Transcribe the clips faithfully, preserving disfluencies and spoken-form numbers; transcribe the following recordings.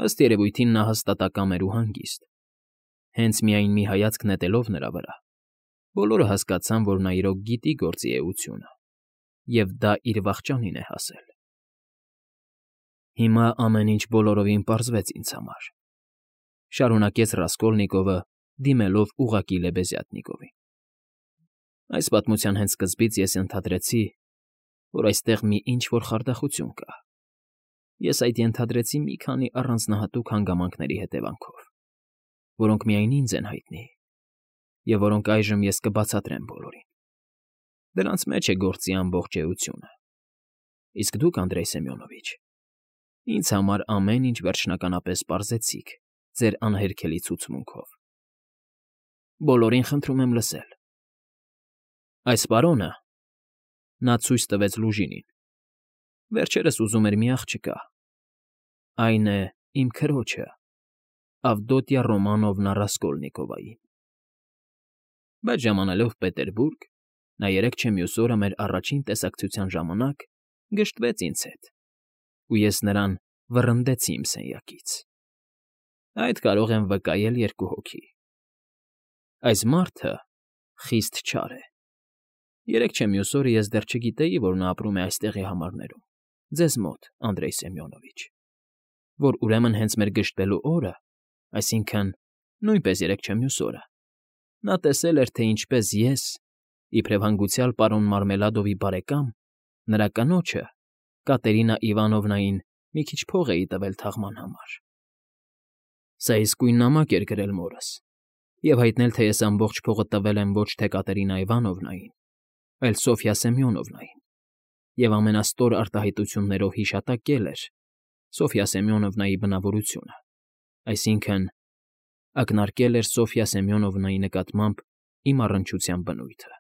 Ըստ երևույթին նա հաստատակամ էր ու հանգիստ։ Հենց միայն մի հայացք նետելով նրա վրա, բոլորը հասկացան, որ նա իրոք գիտի գործի էությունը, և դա իր վախճանին է հասել։ «Հիմա ամեն ինչ բոլորովին պարզվեց ինձ համար,֊ շարունակեց Ռասկոլնիկովը, դիմելով ուղղակի Լեբեզյատնիկովին։֊ Այս պատմության հենց սկզբից ես ենթադրեցի, որ այստեղ մի ինչ֊որ խարդախություն կա։ Ես այդ ենթադրեցի մի քանի առանձնահատուկ հանգամանքների հետևանքով, որոնք միայն ինձ են հայտնի, և որոնք այժմ ես կբացատրեմ բոլորին։ Դրանց մեջ է գործի ամբողջ էությունը։ Իսկ դուք, Անդրեյ Սեմյոնովիչ, ինձ համար ամեն ինչ վերջնականապես պարզեցիք ձեր անհերքելի ցուցմունքով։ Բոլորին խնդրում եմ լսել։ Այս պարոնը,֊ նա ցույց տվեց Լուժինին,֊ վերջերս ուզում էր մի աղջկա, այն է, իմ քրոջը, Ավդոտյա Ռոմանովնա Ռասկոլնիկովային։ Բայց ժամանելով Պետերբուրգ, նա երեկ չէ մյուս օրը մեր առաջին տեսակցության ժամանակ գժտվեց ինձ հետ, ու ես նրան վռնդեցի իմ սենյակից։ Այդ կարող եմ վկայել երկու հոգի։ Այս մարդը խիստ չար է։ Երեկ չէ մյուս օրը ես դեռ չգիտեի, որ նա ապրում է այստեղի համարներում, ձեզ մոտ, Անդրեյ Սեմյոնովիչ, որ ուրեմն հենց մեր գժտվելու օրը, այսինքն՝ նույնպես երեկ չէ մյուս օրը, նա տեսել էր, թե ինչպես ես, իբրև հանգուցյալ պարոն Մարմելադովի բարեկամ, նրա կնոջը՝ Կատերինա Իվանովնային մի քիչ փող էի տվել թաղման համար։ Սա իսկույն նամակ էր գրել մորս և հայտնել, թե ես ամբողջ փողը տվել եմ ոչ թե Կատերինա Իվանովնային, այլ Սոֆյա Սեմյոնովնային, և ամենաստոր արտահայտություններով հիշատակել էր Սոֆյա Սեմյոնովնայի բնավորությունը, այսինքն՝ ակնարկել էր Սոֆյա Սեմյոնովնայի նկատմամբ իմ առնչության բնույթը։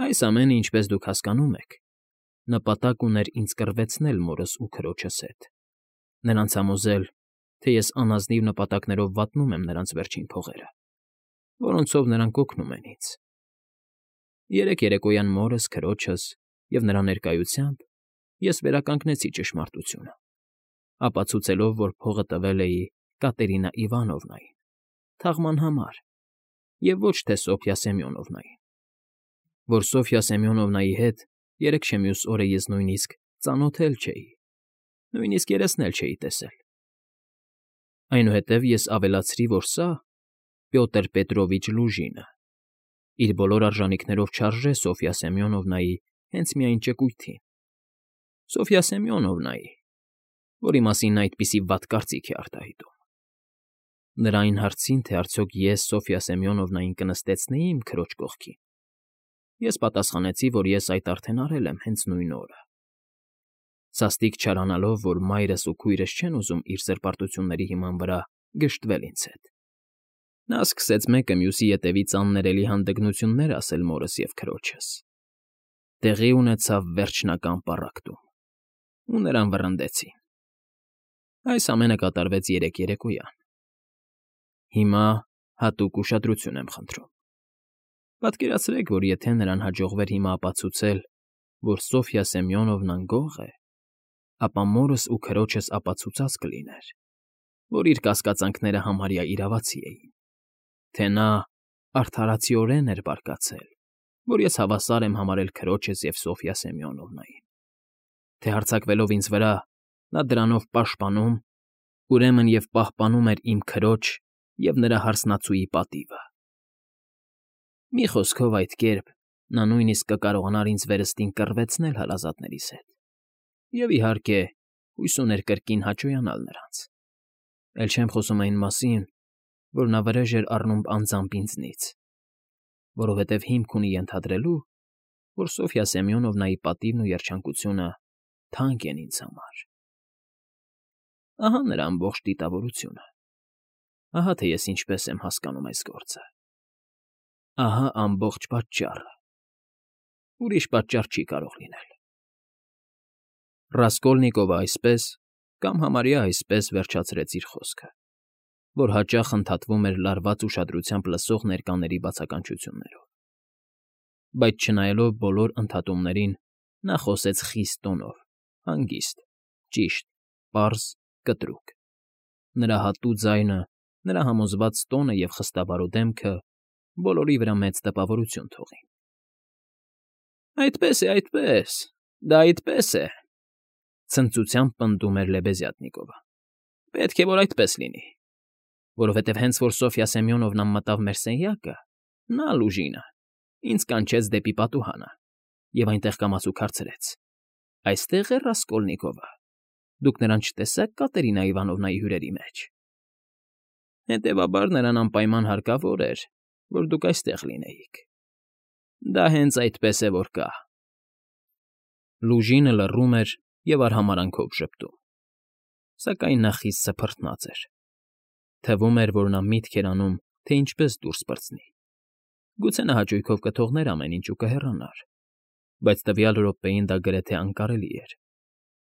Այս ամենը, ինչպես դուք հասկանում եք, նպատակ ուներ ինձ կռվեցնել մորս ու քրոջս հետ, նրանց համոզել, թե ես անազնիվ նպատակներով վատնում եմ նրանց վերջին փողերը, որոնցով նրանք օգնում են ինձ։ Երեկ երեկոյան մորս, քրոջս և նրա ներկայությամբ ես վերականգնեցի ճշմարտությունը, ապացուցելով, որ փողը տվել էի Կատերինա Իվանովնային, թաղման համար, և ոչ թե Սոֆյա Սեմյոնովնային, որ Սոֆյա Սեմյոնովնայի հետ երեկ չէ մյուս օրը ես նույնիսկ ծանոթ էլ չէի, նույնիսկ երեսն էլ չէի տեսել։ Այնուհետև ես ավելացրի, որ սա՝ Պյոտր Պետրովիչ Լուժինը, իր բոլոր արժանիքներով չարժե Սոֆյա Սեմյոնովնայի հենց միայն ճկույթին, Սոֆյա Սեմյոնովնայի, որի մասին նա այդպիսի վատ կարծիք է արտահայտում։ Նրա այն հարցին, թե արդյոք ես Սոֆյա Սեմյոնովնային կնստեցնեի իմ քրոջ կողքին, ես պատասխանեցի, որ ես այդ արդեն արել եմ հենց նույն օրը։ Սաստիկ չարանալով, որ մայրս ու քույրս չեն ուզում իր սրբարտությունների հիման վրա գժտվել ինձ հետ, նա սկսեց մեկը մյուսի ետևից աններելի հանդգնություններ ասել մորս և քրոջս։ Տեղի ունեցավ վերջնական պառակտում, ու նրան վռնդեցին։ Այս ամենը կատարվեց երեկ երեկոյան։ Հիմա հատուկ ուշադրություն եմ խնդրում։ Պատկերացրեք, որ եթե նրան հաջողվեր հիմա ապացուցել, որ Սոֆյա Սեմյոնովնան գող է, ապա մորս ու քրոջս ապացուցած կլիներ, որ իր կասկածանքները համարյա իրավացի էին, թե նա արդարացիորեն էր բարկացել, որ ես հավասար եմ համարել քրոջս և Սոֆյա Սեմյոնովնային, թե հարձակվելով ինձ վրա, նա դրանով պաշտպանում, ուրեմն և պահպանում էր իմ քրոջ և նրա հարսնացուի պատիվը։ Մի խոսքով, այդ կերպ նա նույնիսկ կկարողանար ինձ վերստին կռվեցնել հարազատներիս հետ, և, իհարկե, հույս ուներ կրկին հաճոյանալ նրանց։ Էլ չեմ խոսում այն մասին, որ նա վրեժ էր առնում անձամբ ինձնից, որովհետև հիմք ունի ենթադրելու, որ Սոֆյա Սեմյոնովնայի պատիվն ու երջանկությունը թանկ են ինձ համար։ Ահա նրա ամբողջ դիտավորությունը։ Ահա թե ես ինչպես եմ հասկանում այս գործը։ Ահա ամբողջ պատճառը։ Ուրիշ պատճառ չի կարող լինել։ Ռասկոլնիկովը այսպես, կամ համարյա այսպես վերջացրեց իր խոսքը, որ հաճախ ընդհատվում էր լարված ուշադրությամբ լսող ներկաների բացականչություններով։ Բայց չնայելով բոլոր ընդհատումներին, նա խոսեց խիստ տոնով, հանգիստ, ճիշտ, պարզ, կտրուկ։ նրա հատու ձայնը, նրա համոզված տոնը և խստավարու դեմքը բոլորի վրա մեծ տպավորություն թողին։ ֊ Այդպես է, այդպես, դա այդպես է,֊ ցնծությամբ պնդում էր Լեբեզյատնիկովը։ ֊ Պետք է որ այդպես լինի, որովհետև հենց որ Սոֆյա Սեմյոնովնան մտավ մեր սենյակը, նա՝ Լուժինը, ինձ կանչեց դեպի պատուհանը և այնտեղ կամացուկ հարցրեց. «Այստե՞ղ է Ռասկոլնիկովը, դուք նրան չտեսա՞ք Կատերինա Իվանովնայի հյուրերի մեջ»։ Հետևաբար նրան անպայման հարկավոր էր, որ դուք այստեղ լինեիք։ Դա հենց այդպես է, որ կա։ Լուժինը լռում էր և արհամարհանքով ժպտում, սակայն նա խիստ սփռտնած էր։ Թվում էր, որ նա միտք էր անում, թե ինչպես դուրս պրծնի։ Գուցե նա հաճույքով կթողներ ամեն ինչ ու կհեռանար, բայց տվյալ րոպեին դա գրեթե անկարելի էր։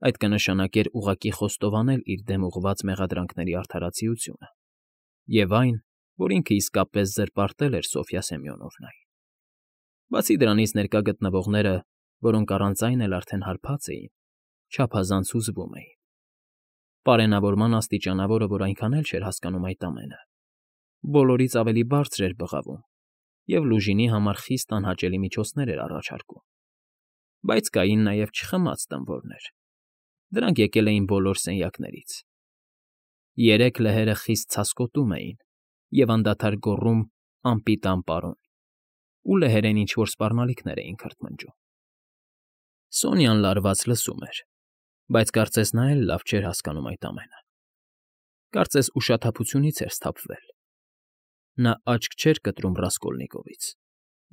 Այդ կնշանակեր ուղղակի խոստովանել իր դեմ ուղղված մեղադրանքների արդարացիությունը և այն, որ ինքը իսկապես զրպարտել էր Սոֆյա Սեմյոնովնային։ Բացի դրանից ներկա գտնվողները, որոնք առանց այն էլ արդեն հարբած էին, չափազանց հուզվում էին։ Պարենավորման աստիճանավորը, որ այնքան էլ չէր հասկանում այդ ամենը, բոլորից ավելի բարձր էր բղավում և Լուժինի համար խիստ անհաճելի միջոցներ էր առաջարկում։ Բայց կային նաև չխմած տմվորներ։ Դրանք եկել էին բոլոր սենյակներից։ Երեք լեհերը խիստ ցասկոտում էին և անդադար գոռում «Անպիտան պարոն», ու լեհերեն ինչ֊որ սպառնալիքներ էին քրթմնջում։ Սոնյան լարված լսում էր, բայց կարծես նա էլ լավ չէր հասկանում այդ ամենը։ Կարծես ուշաթափությունից էր սթափվել։ Նա աչք չէր կտրում Ռասկոլնիկովից,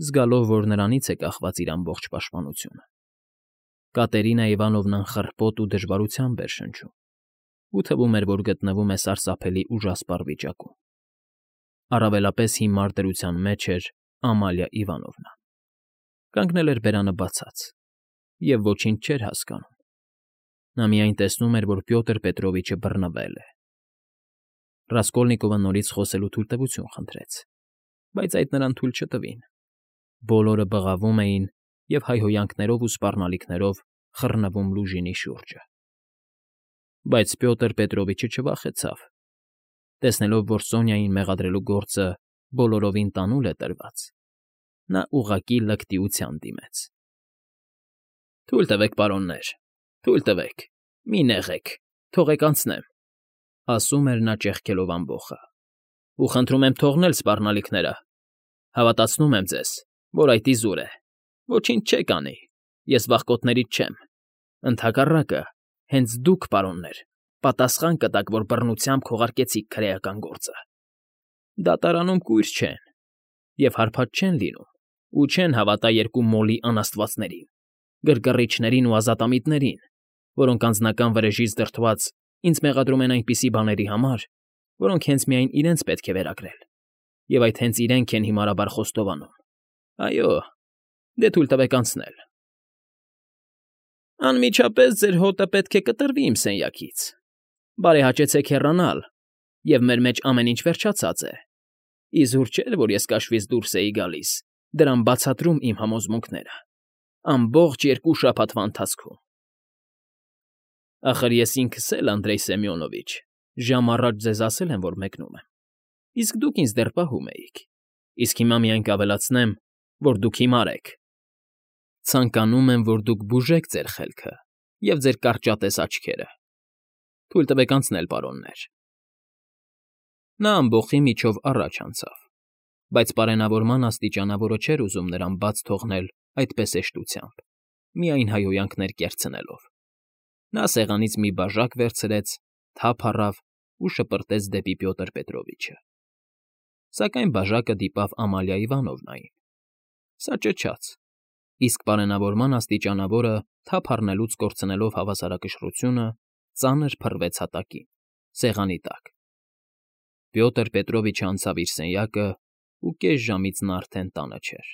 զգալով, որ նրանից է կախված իր ամբողջ պաշտպանությունը։ Կատերինա Իվանովնան խռպոտ ու դժվարությամբ էր շնչում, ու թվում էր, որ գտնվում է սարսափելի ուժասպառ վիճակում։ Առավելապես հիմար դրության մեջ էր Ամալիա Իվանովնան։ Կանգնել էր բերանը բացած և ոչինչ չէր հասկանում։ Նա միայն տեսնում էր, որ Պյոտր Պետրովիչը բռնվել է։ Ռասկոլնիկովը նորից խոսելու թույլտվություն խնդրեց, բայց այդ նրան թույլ չտվին։ Բոլորը բղավում էին և հայհոյանքներով ու սպառնալիքներով խռնվում Լուժինի շուրջը։ Բայց Պյոտր Պետրովիչը չվախեցավ։ Տեսնելով, որ Սոնյային մեղադրելու գործը բոլորովին տանուլ է տրված, նա ուղղակի լկտիության դիմեց։ ֊ Թույլ տվեք, պարոններ, թույլ տվեք, մի նեղեք, թողեք անցնեմ,֊ ասում էր նա ճեղքելով ամբոխը,֊ ու խնդրում եմ թողնել սպառնալիքները։ Հավատացնում եմ ձեզ, որ այդ իզուր է, ոչինչ չեք անի, ես վախկոտներից չեմ։ Ընդհակառակը, հենց դուք, պարոններ, պատասխան կտաք, որ բռնությամբ քողարկեցիք քրեական գործը։ Դատարանում կույր չեն և հարբած չեն լինում ու չեն հավատա երկու մոլի անաստվածներին, գրգռիչներին ու ազատամիտներին, որոնք անձնական վրեժից դրդված ինձ մեղադրում են այնպիսի բաների համար, որոնք հենց միայն իրենց պետք է վերագրել, և այդ հենց իրենք են հիմարաբար խոստովանում։ Այո, դե թույլ տվեք անցնել։ ֊ Անմիջապես ձեր հոտը պետք է կտրվի իմ սենյակից։ Բարեհաճեցեք հեռանալ, և մեր մեջ ամեն ինչ վերջացած է։ Իզուր չէր, որ ես կաշվից դուրս էի գալիս, դրան բացատրում իմ համոզմունքները։ Ամբողջ երկու շաբաթվա ընթացքում։ Ախր ես ինքս էլ, Անդրեյ Սեմյոնովիչ, ժամ առաջ ձեզ ասել եմ, որ մեկնում եմ, իսկ դուք ինձ դեռ պահում էիք, իսկ հիմա միայն կավելացնեմ, որ դուք հիմար եք։ Ցանկանում եմ, որ դուք բուժեք ձեր խելքը և ձեր կարճատես աչքերը։ Թույլ տվեք անցնել, պարոններ։ Նա ամբոխի միջով առաջ անցավ, բայց պարենավորման աստիճանավորը չէր ուզում նրան բաց թողնել այդպես հեշտությամբ, միայն հայհոյանքներ կերցնելով։ Նա սեղանից մի բաժակ վերցրեց, թափ առավ ու շպրտեց դեպի Պյոտր Պետրովիչը։ Սակայն բաժակը դիպավ Ամալիա Իվանովնային։ Սա ճչաց, իսկ պարենավորման աստիճանավորը, թափ առնելուց կորցնելով հավասարակշռությունը, ծանր փռվեց հատակին, սեղանի տակ։ Պյոտր Պետրովիչը անցավ իր սենյակը, ու կես ժամից նա արդեն տանը չէր։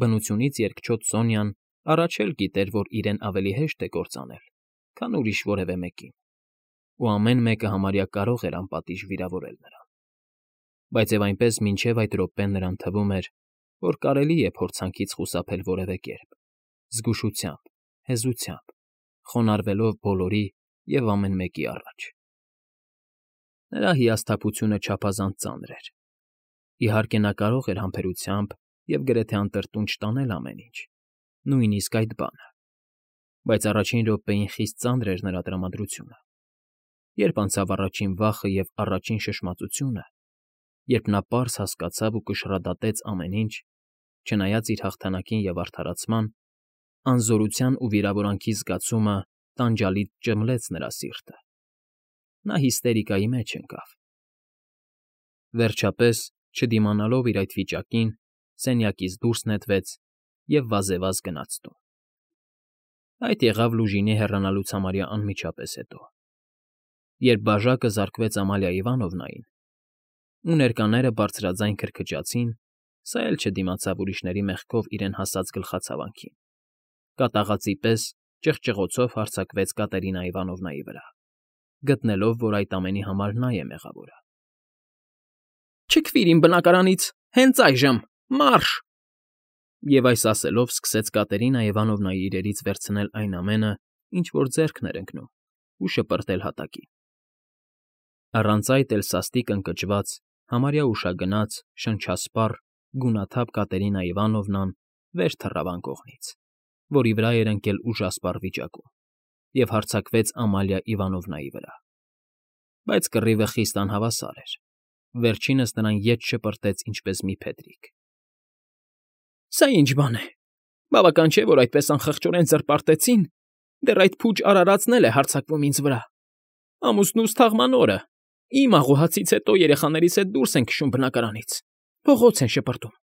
Բնությունից երկչոտ Սոնյան առաջ էլ գիտեր, որ իրեն ավելի հեշտ է կործանել, քան ուրիշ որևէ մեկին, ու ամեն մեկը համարյա կարող էր անպատիժ վիրավորել նրան։ Բայց և այնպես մինչև այդ րոպեն նրան թվում էր, որ կարելի է փորձանքից խուսափել որևէ կերպ, զգուշությամբ, հեզությամբ, խոնարհվելով բոլորի և ամեն մեկի առաջ։ Նրա հիասթափությունը չափազանց ծանր էր։ Իհարկե, նա կարող էր համբերությամբ և գրեթե անտրտունջ տանել ամեն ինչ, նույնիսկ այդ բանը, բայց առաջին րոպեին խիստ ծանր էր նրա տրամադրությունը, երբ անցավ առաջին վախը և առաջին շշմածությունը, երբ նա պարզ հասկացավ ու կշռադատեց ամեն ինչ, չնայած իր հաղթանակին և արդարացման, անզորության ու վիրավորանքի զգացումը տանջալից ճմլեց նրա սիրտը։ Նա հիստերիկայի մեջ ընկավ։ Վերջապես, չդիմանալով իր այդ վիճակին, սենյակից դուրս նետվեց և վազեվազ գնաց տուն։ Այդ եղավ Լուժինի հեռանալուց համարյա անմիջապես հետո։ Երբ բաժակը զարկվեց Ամալիա Իվանովնային, ու ներկաները բարձրաձայն քրքջացին, սա էլ չդիմացավ ուրիշների մեղքով իրեն հասած գլխացավանքին, կատաղածի պես ճղճղոցով հարձակվեց Կատերինա Իվանովնայի վրա, գտնելով, որ այդ ամենի համար նա է մեղավորը։ Չքվիր իմ բնակարանից, հենց այժմ, մարշ… Եվ այս ասելով սկսեց Կատերինա Իվանովնայի իրերից վերցնել այն ամենը, ինչ որ ձեռքն էր ընկնում, ու շպրտել հատակին։ Առանց այդ էլ սաստիկ ընկճված, համարյա ուշագնաց, շնչասպառ, գունաթափ Կատերինա Իվանովնան վեր թռավ անկողնից, որի վրա էր ընկել ուժասպառ վիճակում, և հարձակվեց Ամալիա Իվանովնայի վրա։ Բայց կռիվը խիստ անհավասար էր, վերջինս նրան ետ շպրտեց ինչպես մի փետրիկ։ Սա ի՞նչ բան է, բավական չէ, որ այդպես անխղճորեն զրպարտեցին, դեռ այդ փուջ արարածն էլ է հարձակվում ինձ վրա։ Ամուսնուս թաղման օրը, իմ աղոհացից հետո երեխաներիս հետ դուրս են քշում բնակարանից, փողոց են շպրտում։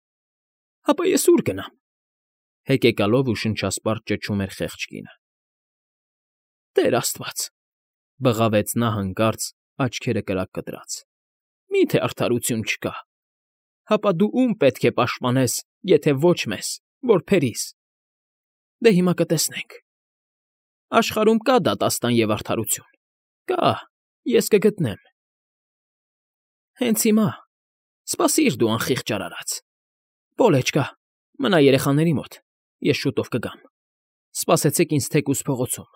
Հապա ես ուր գնամ… Հեկեկալով ու շնչասպառ ճչում էր խեղճ կինը։ Տեր աստված…֊ բղավեց նա հանկարծ, աչքերը կրակ կտրած։֊ Մի՞թե արդարություն չկա… Հապա դու ում պետք է պաշտպանես, եթե ոչ մեզ, որբերիս… Դե հիմա կտեսնենք… Աշխարհում կա դատաստան և արդարություն… Կա, ես կգտնեմ… Հենց հիմա… Սպասիր դու, անխիղճ արարած… Պոլեչկա, մնա երեխաների մոտ, ես շուտով կգամ… Սպասեցեք ինձ թեկուզ փողոցում…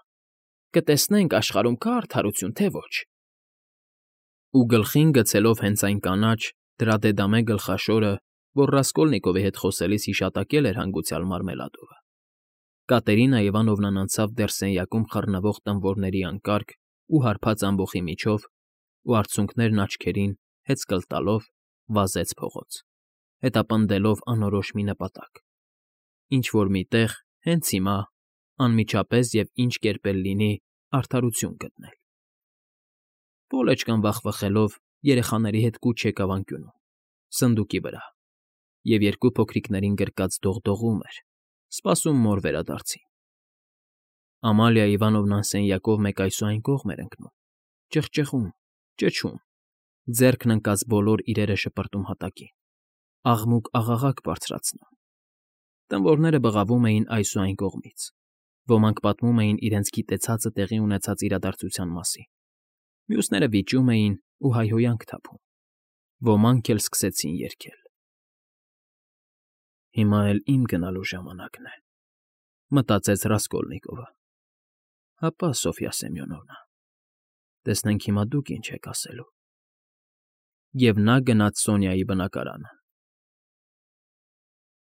Կտեսնենք աշխարհում կա՞ արդարություն, թե ոչ… Ու գլխին գցելով հենց այն կանաչ, դրադեդամե գլխաշորը, որ Ռասկոլնիկովի հետ խոսելիս հիշատակել էր հանգուցյալ Մարմելադովը, Կատերինա Իվանովնան անցավ դեռ սենյակում խռնվող տմբորների անկարգ ու հարբած ամբոխի միջով ու, արցունքներն աչքերին, հեծկլ տալով, վազեց փողոց, հետապնդելով անորոշ մի նպատակ… Ինչ֊որ մի տեղ, հենց հիմա, անմիջապես և ինչ կերպ էլ լինի, արդարություն գտնել… Պոլեչկան վախվխելով երեխաների հետ կուչ եկավ անկյունում, սնդուկի վրա, և երկու փոքրիկներին գրկած դողդողում էր, սպասում մոր վերադարձին… Ամալիա Իվանովնան սենյակով մեկ այս ու այն կողմ էր ընկնում, ճխճխում, ճչում, ձեռքն ընկած բոլոր իրերը շպրտում հատակին, աղմուկ֊աղաղակ բարձրացնում… Տմբորները բղավում էին այս ու այն կողմից, ոմանք պատմում էին իրենց գիտեցածը տեղի ունեցած իրադարձության մասին, մյուսները վիճում էին ու հայհոյանք թափում, ոմանք էլ սկսեցին երգել… Հիմա էլ իմ գնալու ժամանակն է, մտածեց Ռասկոլնիկովը… Հապա, Սոֆյա Սեմյոնովնա, տեսնենք հիմա դուք ինչ եք ասելու… Եվ նա գնաց Սոնյայի բնակարանը։